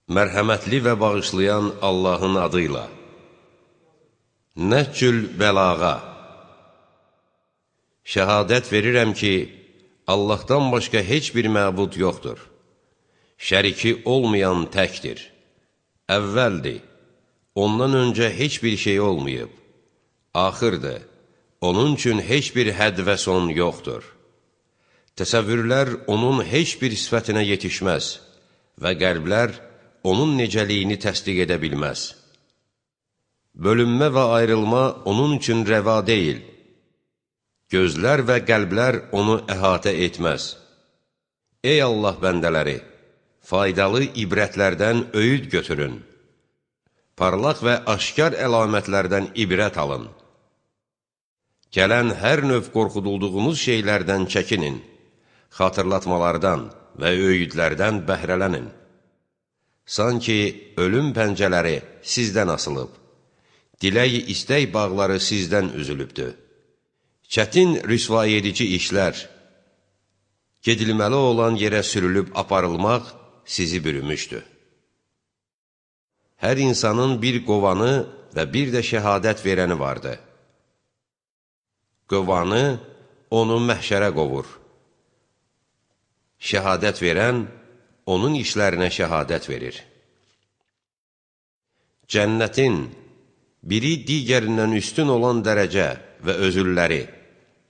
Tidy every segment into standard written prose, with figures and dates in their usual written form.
Mərhəmətli və bağışlayan Allahın adıyla. Nəhcül bəlağa. Şəhadət verirəm ki, Allahdan başqa heç bir məbud yoxdur. Şəriki olmayan təkdir. Əvvəldir. Ondan öncə heç bir şey olmayıb. Axırdır. Onun üçün heç bir hədd və son yoxdur. Təsəvvürlər onun heç bir sifətinə yetişməz və qəlblər onun necəliyini təsdiq edə bilməz. Bölünmə və ayrılma onun üçün rəva deyil. Gözlər və qəlblər onu əhatə etməz. Ey Allah bəndələri, faydalı ibrətlərdən öyüd götürün. Parlaq və aşkar əlamətlərdən ibrət alın. Gələn hər növ qorxudulduğunuz şeylərdən çəkinin, xatırlatmalardan və öyüdlərdən bəhrələnin. Sanki ölüm pəncələri sizdən asılıb, diləyi istək bağları sizdən üzülübdür. Çətin rüsvay edici işlər, gedilməli olan yerə sürülüb aparılmaq sizi bürümüşdür. Hər insanın bir qovanı və bir də şəhadət verəni vardı. Qovanı onu məhşərə qovur. Şəhadət verən onun işlərinə şəhadət verir. Cənnətin biri digərindən üstün olan dərəcə və özülləri,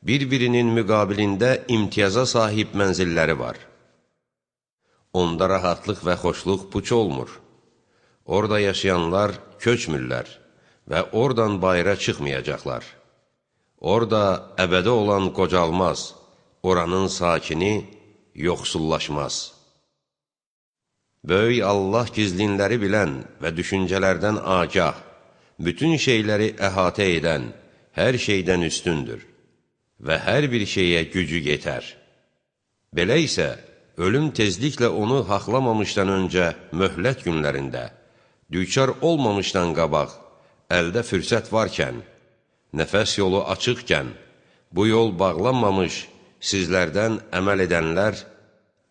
bir-birinin müqabilində imtiyaza sahib mənzilləri var. Onda rahatlıq və xoşluq puç olmur. Orada yaşayanlar köçmürlər və oradan bayıra çıxmayacaqlar. Orada əbədi olan qocalmaz, oranın sakini yoxsullaşmaz. Böyük Allah gizlinləri bilən və düşüncələrdən agah, bütün şeyləri əhatə edən, hər şeydən üstündür və hər bir şeyə gücü yetər. Belə isə, ölüm tezliklə onu haqlamamışdan öncə möhlət günlərində, düçar olmamışdan qabaq, əldə fürsət varkən, nəfəs yolu açıqkən, bu yol bağlanmamış sizlərdən əməl edənlər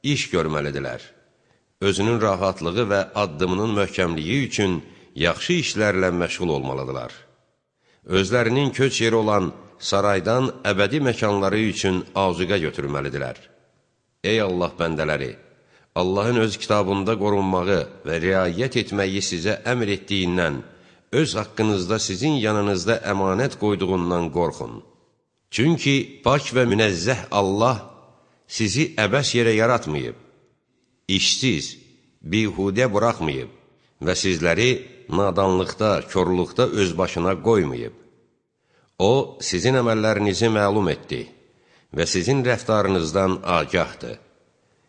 iş görməlidirlər. Özünün rahatlığı və addımının möhkəmliyi üçün yaxşı işlərlə məşğul olmalıdırlar. Özlərinin köç yeri olan saraydan əbədi məkanları üçün azuqə götürməlidirlər. Ey Allah bəndələri! Allahın öz kitabında qorunmağı və riayət etməyi sizə əmr etdiyindən, öz haqqınızda sizin yanınızda əmanət qoyduğundan qorxun. Çünki pak və münəzzəh Allah sizi əbəs yerə yaratmayıb, işsiz, bihudə buraxmayıb və sizləri nadanlıqda, körlükdə öz başına qoymayıb. O, sizin əməllərinizi məlum etdi və sizin rəftarınızdan agahdır.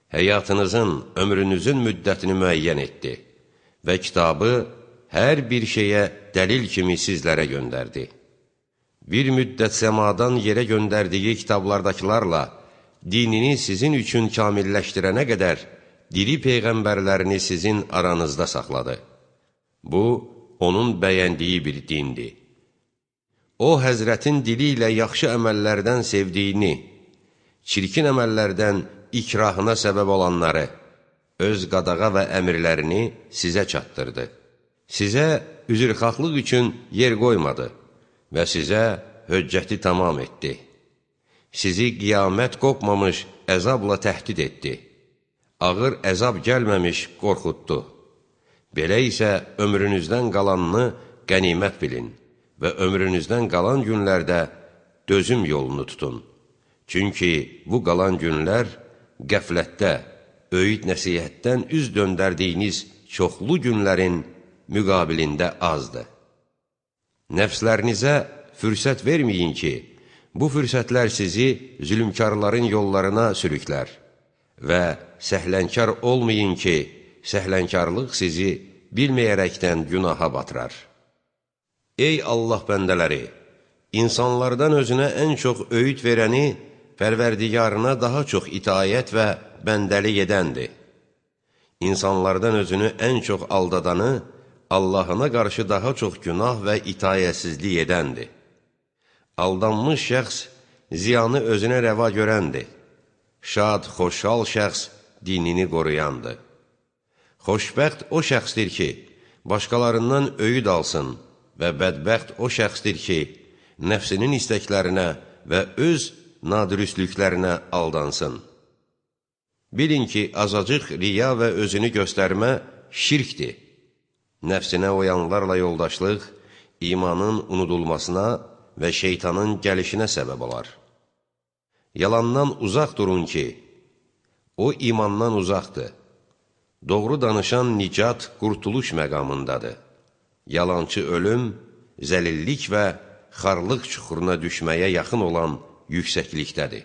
Həyatınızın, ömrünüzün müddətini müəyyən etdi və kitabı hər bir şeyə dəlil kimi sizlərə göndərdi. Bir müddət səmadan yerə göndərdiyi kitablardakılarla dinini sizin üçün kamilləşdirənə qədər diri peyğəmbərlərini sizin aranızda saxladı. Bu, onun bəyəndiyi bir dindir. O, Həzrətin dili ilə yaxşı əməllərdən sevdiyini, çirkin əməllərdən ikrahına səbəb olanları, öz qadağa və əmirlərini sizə çatdırdı. Sizə üzrxahlıq üçün yer qoymadı və sizə höccəti tamam etdi. Sizi qiyamət qopmamış əzabla təhdid etdi. Ağır əzab gəlməmiş qorxutdu. Belə isə ömrünüzdən qalanını qənimət bilin və ömrünüzdən qalan günlərdə dözüm yolunu tutun. Çünki bu qalan günlər qəflətdə, öyüd nəsihətdən üz döndərdiyiniz çoxlu günlərin müqabilində azdır. Nəfslərinizə fürsət verməyin ki, bu fürsətlər sizi zülmkarların yollarına sürüklər və səhlənkar olmayın ki, səhlənkarlıq sizi bilməyərəkdən günaha batırar. Ey Allah bəndələri! İnsanlardan özünə ən çox öyüd verəni Pərverdigarına daha çox itayət və bəndəlik edəndir. İnsanlardan özünü ən çox aldadanı Allahına qarşı daha çox günah və itayətsizlik edəndir. Aldanmış şəxs ziyanı özünə rəva görəndir. Şad, xoşhal şəxs dinini qoruyandır. Xoşbəxt o şəxsdir ki, başqalarından öyüd alsın və bədbəxt o şəxsdir ki, nəfsinin istəklərinə və öz nadürüstlüklərinə aldansın. Bilin ki, azacıq riya və özünü göstərmə şirkdir. Nəfsinə oyanlarla yoldaşlıq, imanın unudulmasına və şeytanın gəlişinə səbəb olar. Yalandan uzaq durun ki, o imandan uzaqdır. Doğru danışan nicat, qurtuluş məqamındadır. Yalançı ölüm, zəlillik və xarlıq çuxuruna düşməyə yaxın olan yüksəklikdədir.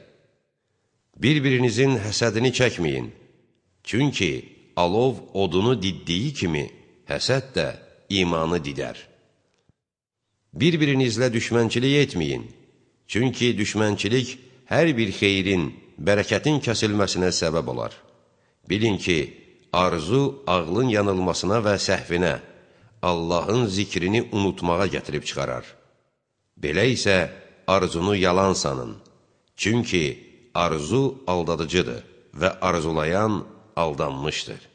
Bir-birinizin həsədini çəkməyin. Çünki alov odunu diddiyi kimi, həsəd də imanı didər. Bir-birinizlə düşmənçilik etməyin. Çünki düşmənçilik hər bir xeyrin, bərəkətin kəsilməsinə səbəb olar. Bilin ki, arzu ağlın yanılmasına və səhvinə, Allahın zikrini unutmağa gətirib çıxarar. Belə isə arzunu yalan sanın. Çünki arzu aldadıcıdır və arzulayan aldanmışdır.